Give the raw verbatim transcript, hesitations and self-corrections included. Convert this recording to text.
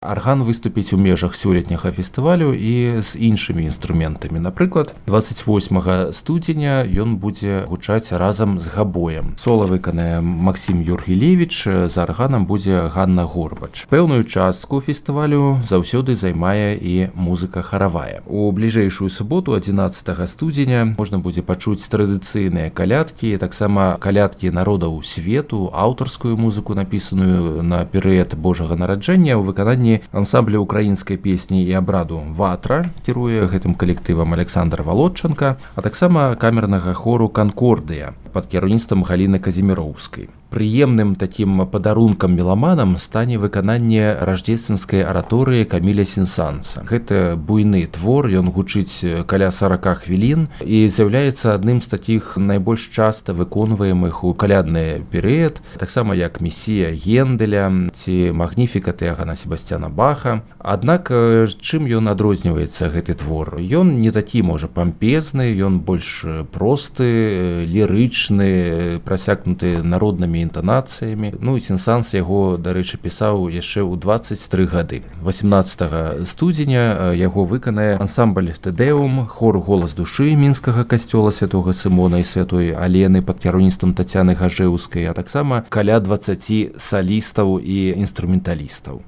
Арган выступіць у межах сёлетняга фестывалю і з іншымі інструментамі. Напрыклад, дваццаць восьмага студзеня ён будзе гучаць разам з габоем. Сола выканае Максім Юргілевіч, за арганам будзе Ганна Горбач. Пэўную частку фестывалю заўсёды займае і музыка харавая. У бліжэйшую суботу, адзінаццатага студзеня, можна будзе пачуць традыцыйныя калядкі, таксама калядкі народаў свету, аўтарскую музыку, напісаную на перыяд Божага нараджэння ў выкананні ансамбля украінскай песні і абраду «Ватра», кіруе гэтым калектывам Александр Володченко, а таксама камернага хору «Канкордыя» пад кіраўніцтвам Галіны Казіміроўскай. Прыемным такім падарункам меламанам стане выкананне раждзественскай араторыі Каміля Сен-Санса. Гэта буйны твор, ён гучыць каля сарака хвілін і з'яўляецца адным з такіх найбольш часта выконваемых у калядны перыяд, таксама як «Месія» Генделя ці «Магніфікат» Іагана Себасцяна Баха. Аднак чым ён адрозніваецца, гэты твор? Ён не такі, можа, пампезны, ён больш просты, лірычны, прасякнуты народнымі інтанацыямі. Ну і Сен-Санс яго, дарэчы, пісаў яшчэ ў дваццаць тры гады. васемнаццатага студзеня яго выканае ансамбль «Тэдэум», хор «Голас душы» мінскага касцёла святога Сымона і святой Алены пад кіраўніцтвам Тацяны Гажэўскай, а таксама каля дваццаці салістаў і інструменталістаў.